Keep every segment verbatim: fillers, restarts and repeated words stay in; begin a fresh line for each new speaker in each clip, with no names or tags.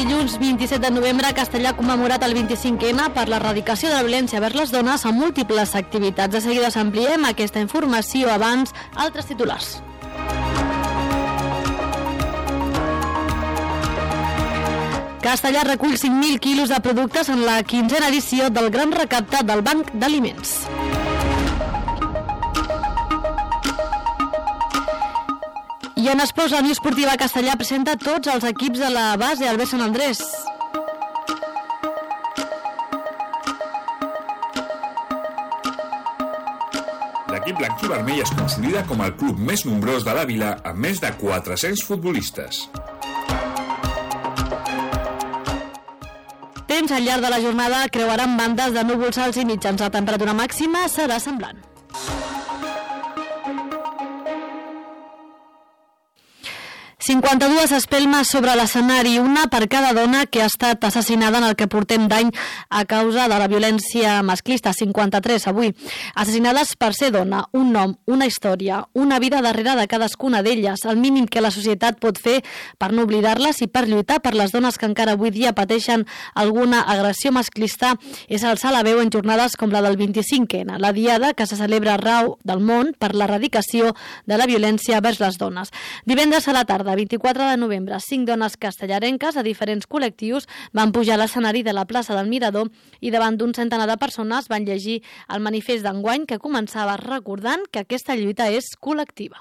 dilluns vint-i-set de novembre, Castellà ha commemorat el vint-i-cinquè ena per l'erradicació de la violència vers les dones amb múltiples activitats. De seguida s'ampliem aquesta informació, abans altres titulars. Castellà recull cinc mil quilos de productes en la quinzena edició del Gran Recapte del Banc d'Aliments. I en esports, la Unió Esportiva Castellà presenta tots els equips de la base al B Sant Andrés.
L'equip blanc i vermell es consolida com el club més nombrós de la vila, amb més de quatre-cents futbolistes.
Temps al llarg de la jornada creuaran bandes de núvols alts i mitjans. La temperatura màxima serà semblant. cinquanta-dues espelmes sobre l'escenari, una per cada dona que ha estat assassinada en el que portem d'any a causa de la violència masclista. cinquanta-tres avui. Assassinades per ser dona, un nom, una història, una vida darrere de cadascuna d'elles, el mínim que la societat pot fer per no oblidar-les i per lluitar per les dones que encara avui dia pateixen alguna agressió masclista és alçar la veu en jornades com la del vint-i-cinquè ena, la diada que se celebra arreu del món per l'erradicació de la violència vers les dones. Divendres a la tarda, vint-i-quatre de novembre, cinc dones castellarenques de diferents col·lectius van pujar a l'escenari de la plaça del Mirador i davant d'un centenar de persones van llegir el manifest d'enguany que començava recordant que aquesta lluita és col·lectiva.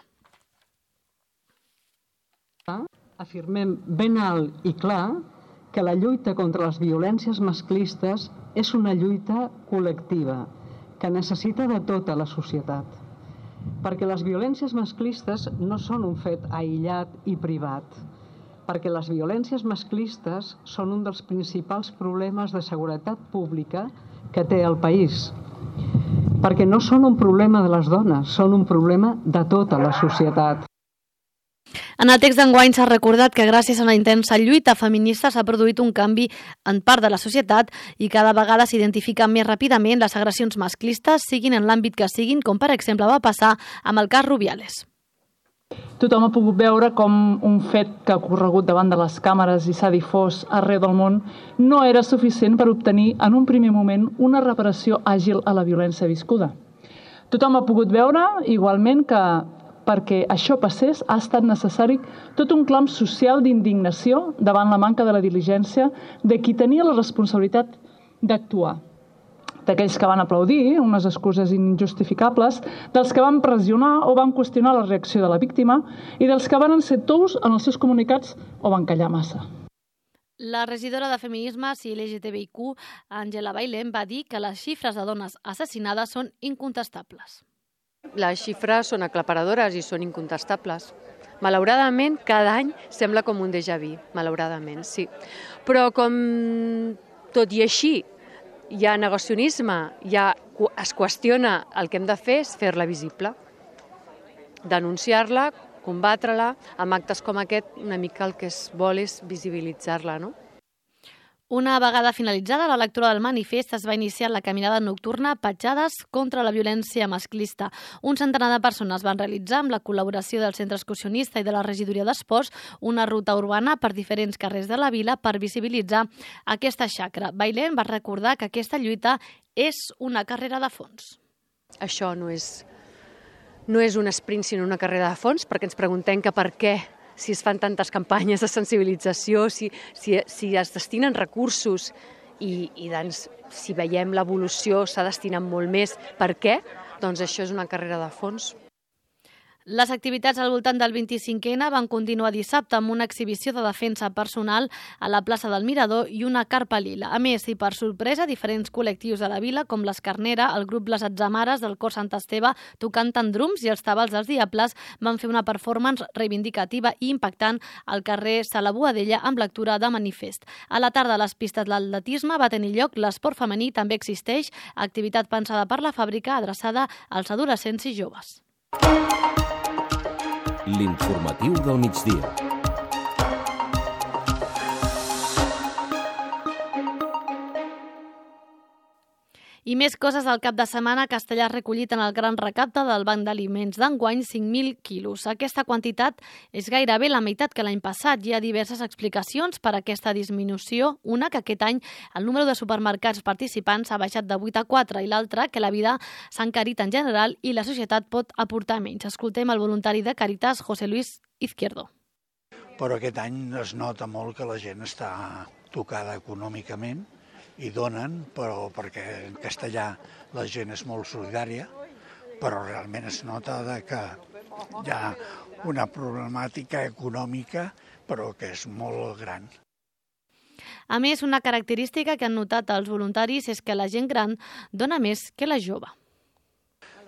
Afirmem ben alt i clar que la lluita contra les violències masclistes és una lluita col·lectiva que necessita de tota la societat. Perquè les violències masclistes no són un fet aïllat i privat, perquè les violències masclistes són un dels principals problemes de seguretat pública que té el país, perquè no són un problema de les dones, són un problema de tota la societat.
En el text d'enguany s'ha recordat que gràcies a una intensa lluita feminista s'ha produït un canvi en part de la societat i cada vegada s'identifiquen més ràpidament les agressions masclistes, siguin en l'àmbit que siguin, com per exemple va passar amb el cas Rubiales.
Tothom ha pogut veure com un fet que ha ocorregut davant de les càmeres i s'ha difós arreu del món no era suficient per obtenir en un primer moment una reparació àgil a la violència viscuda. Tothom ha pogut veure igualment que perquè això passés ha estat necessari tot un clam social d'indignació davant la manca de la diligència de qui tenia la responsabilitat d'actuar. D'aquells que van aplaudir unes excuses injustificables, dels que van pressionar o van qüestionar la reacció de la víctima i dels que van ser tous en els seus comunicats o van callar massa.
La regidora de Feminismes i L G T B I Q, Àngela Bailén, va dir que les xifres de dones assassinades són incontestables.
Les xifres són aclaparadores i són incontestables. Malauradament, cada any sembla com un déjà vu, malauradament, sí. Però com tot i així hi ha negacionisme, ja es qüestiona, el que hem de fer és fer-la visible, denunciar-la, combatre-la, amb actes com aquest una mica el que es vol és visibilitzar-la, no?
Una vegada finalitzada la lectura del manifest es va iniciar la caminada nocturna Petjades contra la violència masclista. Un centenar de persones van realitzar, amb la col·laboració del Centre Excursionista i de la Regidoria d'Esports, una ruta urbana per diferents carrers de la vila per visibilitzar aquesta xacra. Bailén va recordar que aquesta lluita és una carrera de fons.
Això no és, no és un sprint, sinó una carrera de fons, perquè ens preguntem que per què si es fan tantes campanyes de sensibilització, si, si, si es destinen recursos i, i doncs, si veiem l'evolució s'ha destinat molt més. Per què? Doncs això és una carrera de fons.
Les activitats al voltant del vint-i-cinquè ena van continuar dissabte amb una exhibició de defensa personal a la plaça del Mirador i una carpa lila. A més, i per sorpresa, diferents col·lectius de la vila, com l'Escarnera, el grup Les Atzamares del Cor Sant Esteve, tocant drums, i els Tabals dels Diables van fer una performance reivindicativa i impactant al carrer Sala Boadella amb lectura de manifest. A la tarda, a les pistes de l'atletisme va tenir lloc l'esport femení, també existeix, activitat pensada per la fàbrica adreçada als adolescents i joves.
L'informatiu del migdia.
I més coses del cap de setmana. Castellà ha recollit en el gran recapte del Banc d'Aliments d'enguany cinc mil quilos. Aquesta quantitat és gairebé la meitat que l'any passat. Hi ha diverses explicacions per a aquesta disminució. Una, que aquest any el número de supermercats participants ha baixat de vuit a quatre, i l'altra, que la vida s'ha encarit en general i la societat pot aportar menys. Escoltem el voluntari de Càritas, José Luis Izquierdo.
Però aquest any es nota molt que la gent està tocada econòmicament i donen, però perquè en castellà la gent és molt solidària, però realment es nota que hi ha una problemàtica econòmica, però que és molt gran.
A més, una característica que han notat els voluntaris és que la gent gran dona més que la jove.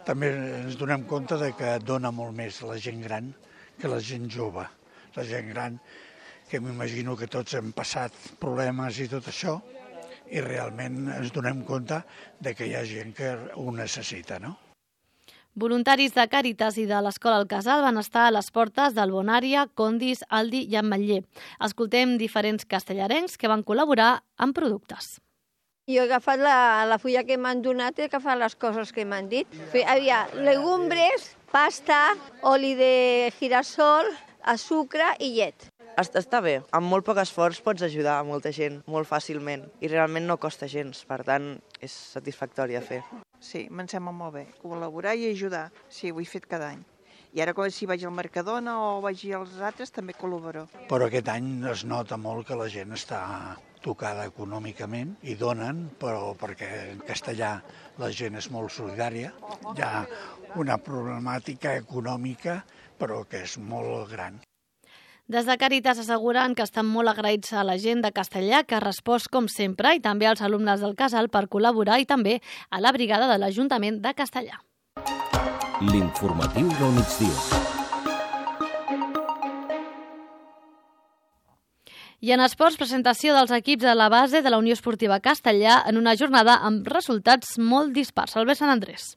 També ens donem compte de que dona molt més la gent gran que la gent jove. La gent gran, que m'imagino que tots hem passat problemes i tot això, i realment ens donem compte de que hi ha gent que ho necessita, no?
Voluntaris de Càritas i de l'Escola El Casal van estar a les portes del Bonària, Condis, Aldi i Ametller. Escoltem diferents castellarencs que van col·laborar amb productes.
Jo he agafat la, la fulla que m'han donat i he agafat les coses que m'han dit. Hi havia legumbres, pasta, oli de girassol, sucre i llet.
Està bé, amb molt poc esforç pots ajudar a molta gent molt fàcilment i realment no costa gens, per tant és satisfactori de fer.
Sí, me'n sembla molt bé, col·laborar i ajudar, sí, ho he fet cada any. I ara si vaig al Mercadona o vaig als altres també col·laboro.
Però aquest any es nota molt que la gent està tocada econòmicament i donen, però perquè en castellà la gent és molt solidària, hi ha una problemàtica econòmica però que és molt gran.
Des de Càritas asseguren que estan molt agraïts a la gent de Castellà, que ha respost com sempre, i també als alumnes del Casal per col·laborar, i també a la brigada de l'Ajuntament de Castellà.
L'informatiu del migdia.
I en esports, presentació dels equips de la base de la Unió Esportiva Castellà en una jornada amb resultats molt dispars. Albert Sant Andrés.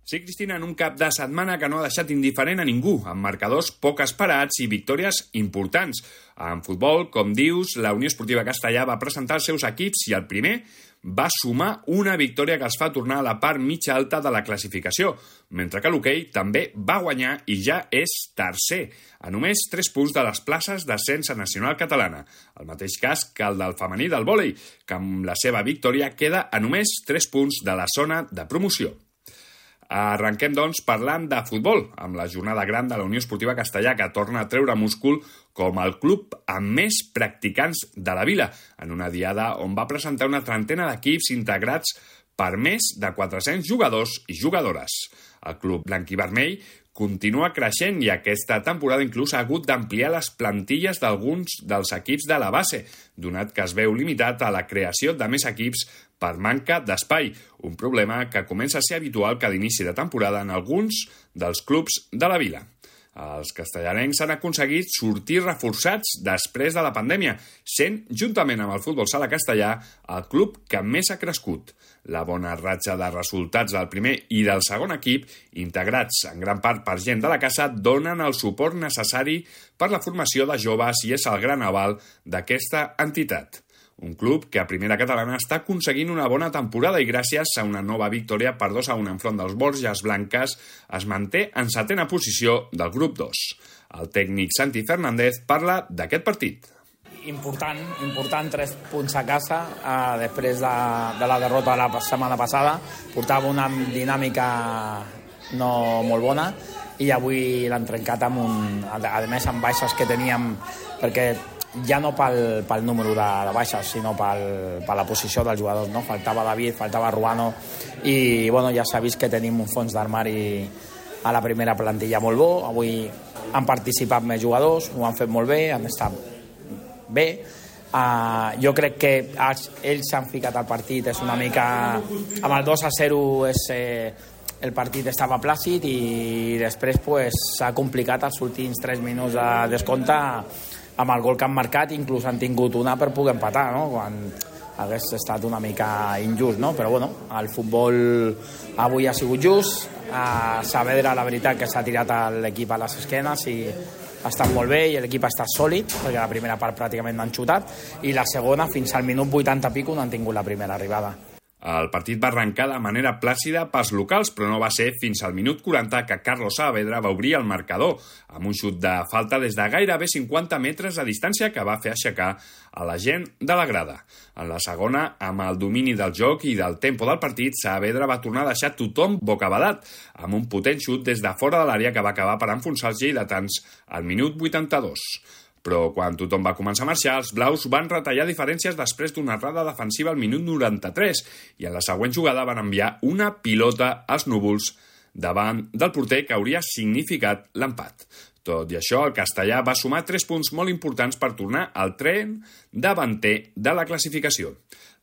Sí, Cristina, en un cap de setmana que no ha deixat indiferent a ningú, amb marcadors poc esperats i victòries importants. En futbol, com dius, la Unió Esportiva Castellà va presentar els seus equips i el primer va sumar una victòria que els fa tornar a la part mitja alta de la classificació, mentre que l'hoquei també va guanyar i ja és tercer, a només tres punts de les places d'ascens a Nacional Catalana. El mateix cas que el del femení del vòlei, que amb la seva victòria queda a només tres punts de la zona de promoció. Arrenquem, doncs, parlant de futbol, amb la jornada gran de la Unió Esportiva Castellà, que torna a treure múscul com el club amb més practicants de la vila, en una diada on va presentar una trentena d'equips integrats per més de quatre-cents jugadors i jugadores. El club blanquivermell continua creixent i aquesta temporada inclús ha hagut d'ampliar les plantilles d'alguns dels equips de la base, donat que es veu limitat a la creació de més equips per manca d'espai, un problema que comença a ser habitual cada inici de temporada en alguns dels clubs de la vila. Els castellarencs han aconseguit sortir reforçats després de la pandèmia, sent, juntament amb el futbol sala castellà, el club que més ha crescut. La bona ratxa de resultats del primer i del segon equip, integrats en gran part per gent de la casa, donen el suport necessari per la formació de joves i és el gran aval d'aquesta entitat. Un club que a primera catalana està aconseguint una bona temporada i gràcies a una nova victòria per dos a un enfront dels Borges Blanques es manté en setena posició del grup dos. El tècnic Santi Fernández parla d'aquest partit.
Important, important, tres punts a casa eh, després de, de la derrota de la setmana passada. Portava una dinàmica no molt bona i avui l'han trencat amb un, a més amb baixes que teníem, perquè ja no pel, pel número de, de baixes, sinó pel, per la posició dels jugadors, no? Faltava David, faltava Ruano i bueno, ja s'ha vist que tenim un fons d'armari a la primera plantilla molt bo. Avui han participat més jugadors, ho han fet molt bé, han estat bé. Uh, jo crec que ells, ells s'han ficat al partit, és una mica amb el dos a zero és, eh, el partit estava plàcid i després pues, s'ha complicat els últims tres minuts de descompte amb el gol que han marcat, inclús han tingut una per poder empatar, no? Quan hagués estat una mica injust, no? Però bueno, el futbol avui ha sigut just, a Saavedra la veritat que s'ha tirat l'equip a les esquenes i ha estat molt bé i l'equip ha estat sòlid, perquè la primera part pràcticament no han xutat i la segona fins al minut vuitanta pico no han tingut la primera arribada.
El partit va arrencar de manera plàcida pels locals, però no va ser fins al minut quaranta que Carlos Saavedra va obrir el marcador amb un xut de falta des de gairebé cinquanta metres de distància que va fer aixecar a la gent de la grada. En la segona, amb el domini del joc i del tempo del partit, Saavedra va tornar a deixar tothom bocabadat amb un potent xut des de fora de l'àrea que va acabar per enfonsar els lleidatans al minut vuitanta-dos. Però quan tothom va començar a marxar, els blaus van retallar diferències després d'una errada defensiva al minut noranta-tres i en la següent jugada van enviar una pilota als núvols davant del porter que hauria significat l'empat. Tot i això, el castellà va sumar tres punts molt importants per tornar al tren davanter de la classificació.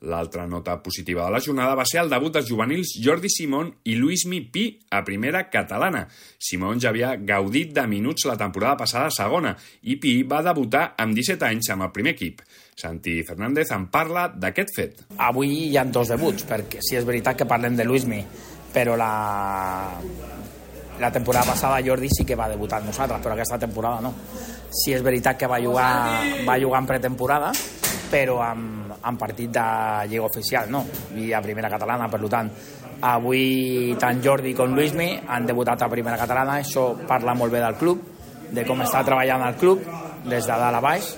L'altra nota positiva de la jornada va ser el debut dels juvenils Jordi Simón i Luismi Pi a primera catalana. Simón ja havia gaudit de minuts la temporada passada a segona i Pi va debutar amb disset anys amb el primer equip. Santi Fernández en parla d'aquest fet.
Avui hi ha dos debuts, perquè sí és veritat que parlem de Luismi, però la... La temporada passada Jordi sí que va debutar amb nosaltres, però aquesta temporada no. Sí és veritat que va jugar, va jugar en pretemporada, però amb, amb partit de lliga oficial, no? I a primera catalana, per tant. Avui tant Jordi com Luismi han debutat a primera catalana, això parla molt bé del club, de com està treballant el club, des de dalt a baix,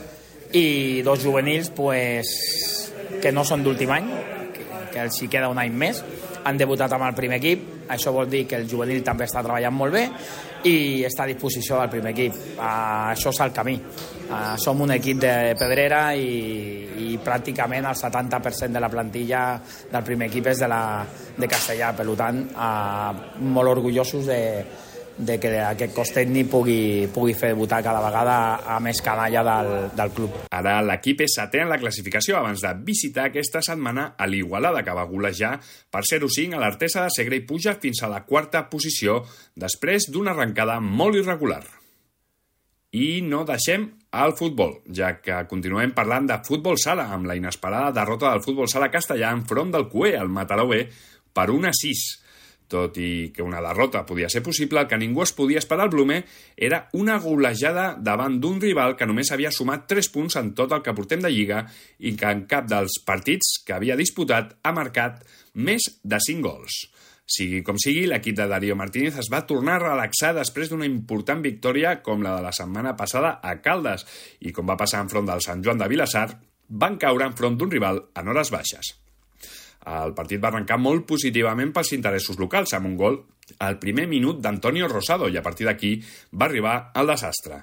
i dos juvenils pues, que no són d'últim any, que, que els hi queda un any més, han debutat amb el primer equip, això vol dir que el juvenil també està treballant molt bé i està a disposició del primer equip. Uh, això és el camí. Uh, som un equip de pedrera i, i pràcticament el setanta per cent de la plantilla del primer equip és de, la, de Castellà. Per tant, uh, molt orgullosos de, de que aquest cos tècnic pugui, pugui fer debutar cada vegada a més canalla del, del club.
Ara l'equip és setè en la classificació abans de visitar aquesta setmana a l'Igualada, que va golejar per zero cinc a l'Artesa de Segre i puja fins a la quarta posició després d'una arrencada molt irregular. I no deixem el futbol, ja que continuem parlant de futbol sala amb la inesperada derrota del futbol sala castellà enfront del C U E, el Mataró B, per un a sis. Tot i que una derrota podia ser possible, el que ningú es podia esperar al Blume era una golejada davant d'un rival que només havia sumat tres punts en tot el que portem de Lliga i que en cap dels partits que havia disputat ha marcat més de cinc gols. Sigui com sigui, l'equip de Darío Martínez es va tornar a relaxar després d'una important victòria com la de la setmana passada a Caldes i, com va passar enfront del Sant Joan de Vilassar, van caure enfront d'un rival en hores baixes. El partit va arrencar molt positivament pels interessos locals, amb un gol al primer minut d'Antonio Rosado, i a partir d'aquí va arribar el desastre.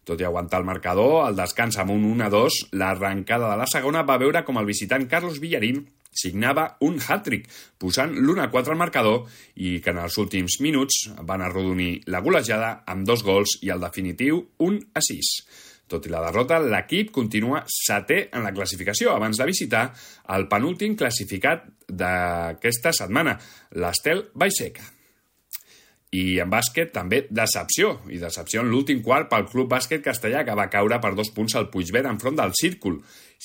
Tot i aguantar el marcador, al descans amb un un a dos, l'arrencada de la segona va veure com el visitant Carlos Villarín signava un hat-trick, posant l'un a quatre al marcador i que en els últims minuts van arrodonir la golejada amb dos gols i el definitiu un a sis. Tot i la derrota, l'equip continua setè en la classificació abans de visitar el penúltim classificat d'aquesta setmana, l'Estel Baixeca. I en bàsquet també decepció, i decepció en l'últim quart pel Club Bàsquet Castellà, que va caure per dos punts al Puigverd enfront del Círcul.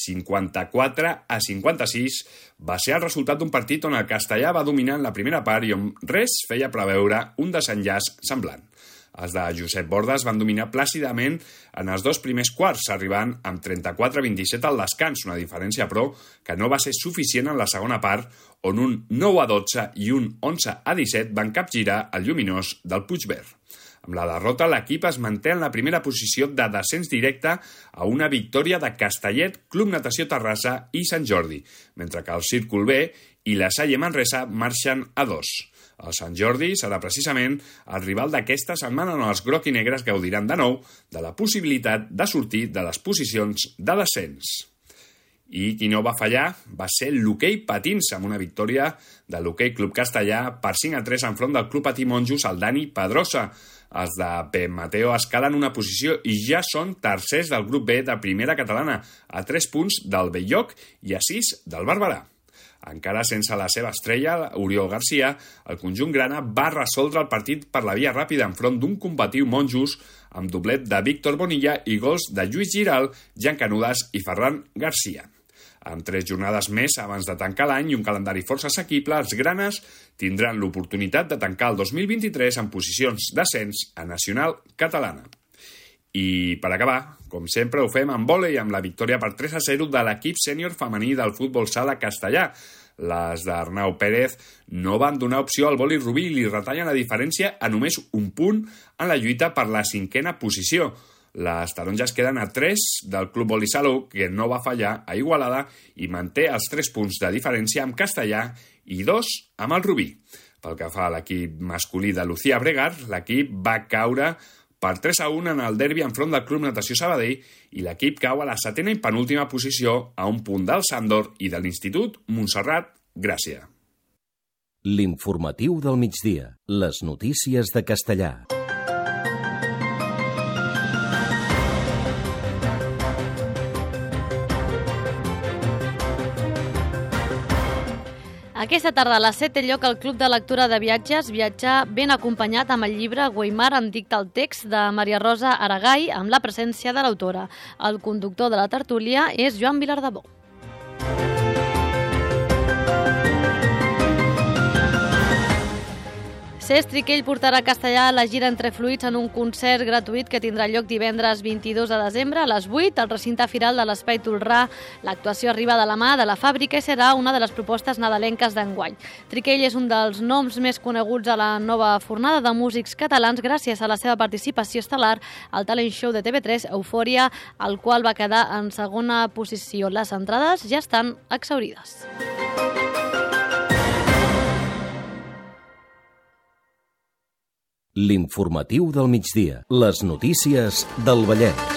cinquanta-quatre a cinquanta-sis va ser el resultat d'un partit on el Castellà va dominar en la primera part i on res feia preveure un desenllaç semblant. Els de Josep Bordes van dominar plàcidament en els dos primers quarts, arribant amb trenta-quatre a vint-i-set al descans, una diferència, però, que no va ser suficient en la segona part, on un nou a dotze i un onze a disset van capgirar el lluminós del Puigverd. Amb la derrota, l'equip es manté en la primera posició de descens directe a una victòria de Castellet, Club Natació Terrassa i Sant Jordi, mentre que el Círcul B i la Salle Manresa marxen a dos. El Sant Jordi serà precisament el rival d'aquesta setmana on els groc i negres gaudiran de nou de la possibilitat de sortir de les posicions de descens. I qui no va fallar va ser l'hoquei patins, amb una victòria de l'Hoquei Club Castellà per cinc a tres enfront del Club Patí Monjos, el Dani Pedrosa. Els de Pep Mateo escalen una posició i ja són tercers del grup B de primera catalana, a tres punts del Belloc i a sis del Barberà. Encara sense la seva estrella, Oriol Garcia, el conjunt grana va resoldre el partit per la via ràpida enfront d'un combatiu Monjos amb doblet de Víctor Bonilla i gols de Lluís Giral, Jan Canudas i Ferran Garcia. Amb tres jornades més abans de tancar l'any i un calendari força assequible, els granes tindran l'oportunitat de tancar el dos mil vint-i-tres en posicions d'ascens a Nacional Catalana. I per acabar, com sempre ho fem amb vòlei amb la victòria per tres a zero de l'equip sènior femení del futbol sala castellà. Les d'Arnau Pérez no van donar opció al Boli Rubí i li retallen la diferència a només un punt en la lluita per la cinquena posició. Les taronges queden a tres del Club Boli Salou, que no va fallar a Igualada i manté els tres punts de diferència amb Castellà i dos amb el Rubí. Pel que fa a l'equip masculí de Lucía Bregar, l'equip va caure per tres a un en el derbi enfront del Club Natació Sabadell i l'equip cau a la setena i penúltima posició a un punt del Sàndor i de l'Institut Montserrat Gràcia.
L'informatiu del migdia. Les notícies de Castellà.
Aquesta tarda a les set té lloc el Club de Lectura de Viatges, viatjar ben acompanyat amb el llibre Guaimar em dicta el text de Maria Rosa Aragay amb la presència de l'autora. El conductor de la tertúlia és Joan Vilardebó. Cesc Triquell portarà a Castellà la gira Entre Fluids en un concert gratuït que tindrà lloc divendres vint-i-dos de desembre a les vuit al recinte firal de l'Espai Tolrà. L'actuació arriba de la mà de la Fàbrica i serà una de les propostes nadalenques d'enguany. Triquell és un dels noms més coneguts a la nova fornada de músics catalans gràcies a la seva participació estel·lar al talent show de T V tres Eufòria, el qual va quedar en segona posició. Les entrades ja estan exhaurides.
L'informatiu del migdia. Les notícies del Vallès.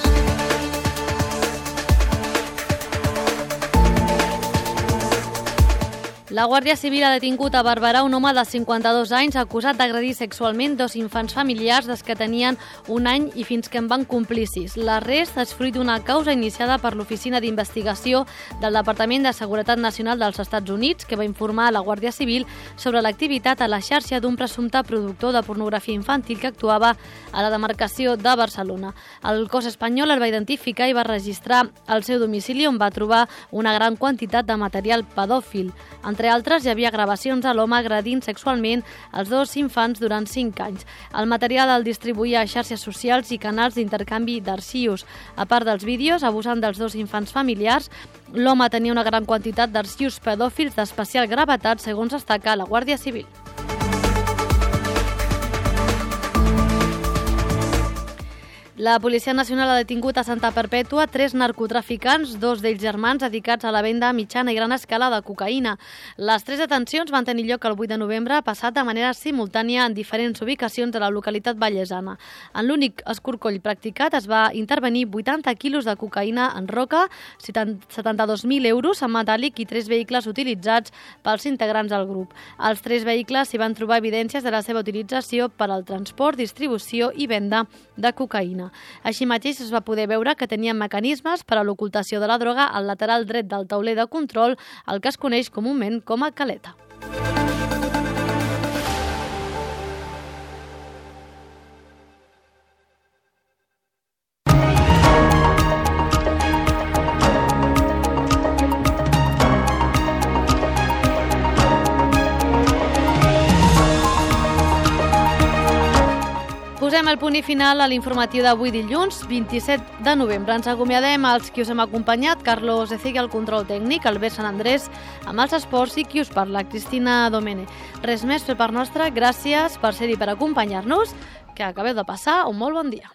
La Guàrdia Civil ha detingut a Barberà un home de cinquanta-dos anys acusat d'agredir sexualment dos infants familiars des que tenien un any i fins que en van complir sis. L'arrest és fruit d'una causa iniciada per l'Oficina d'Investigació del Departament de Seguretat Nacional dels Estats Units, que va informar a la Guàrdia Civil sobre l'activitat a la xarxa d'un presumpte productor de pornografia infantil que actuava a la demarcació de Barcelona. El cos espanyol el va identificar i va registrar el seu domicili, on va trobar una gran quantitat de material pedòfil. Entre altres, hi havia gravacions de l'home agredint sexualment els dos infants durant cinc anys. El material el distribuïa a xarxes socials i canals d'intercanvi d'arxius. A part dels vídeos, abusant dels dos infants familiars, l'home tenia una gran quantitat d'arxius pedòfils d'especial gravetat, segons destaca la Guàrdia Civil. La Policia Nacional ha detingut a Santa Perpètua tres narcotraficants, dos d'ells germans, dedicats a la venda a mitjana i gran escala de cocaïna. Les tres detencions van tenir lloc el vuit de novembre, passat de manera simultània en diferents ubicacions de la localitat vallesana. En l'únic escorcoll practicat es va intervenir vuitanta quilos de cocaïna en roca, setanta-dos mil euros en metàl·lic i tres vehicles utilitzats pels integrants del grup. Als tres vehicles s'hi van trobar evidències de la seva utilització per al transport, distribució i venda de cocaïna. Així mateix es va poder veure que tenien mecanismes per a l'ocultació de la droga al lateral dret del tauler de control, el que es coneix comúment com a caleta. Posem el punt i final a l'informatiu d'avui dilluns, vint-i-set de novembre. Ens acomiadem als qui us hem acompanyat, Carlos Ecigui al control tècnic, Albert Sant Andrés amb els esports i qui us parla, Cristina Domene. Res més per part nostra, gràcies per ser-hi per acompanyar-nos, que acabeu de passar un molt bon dia.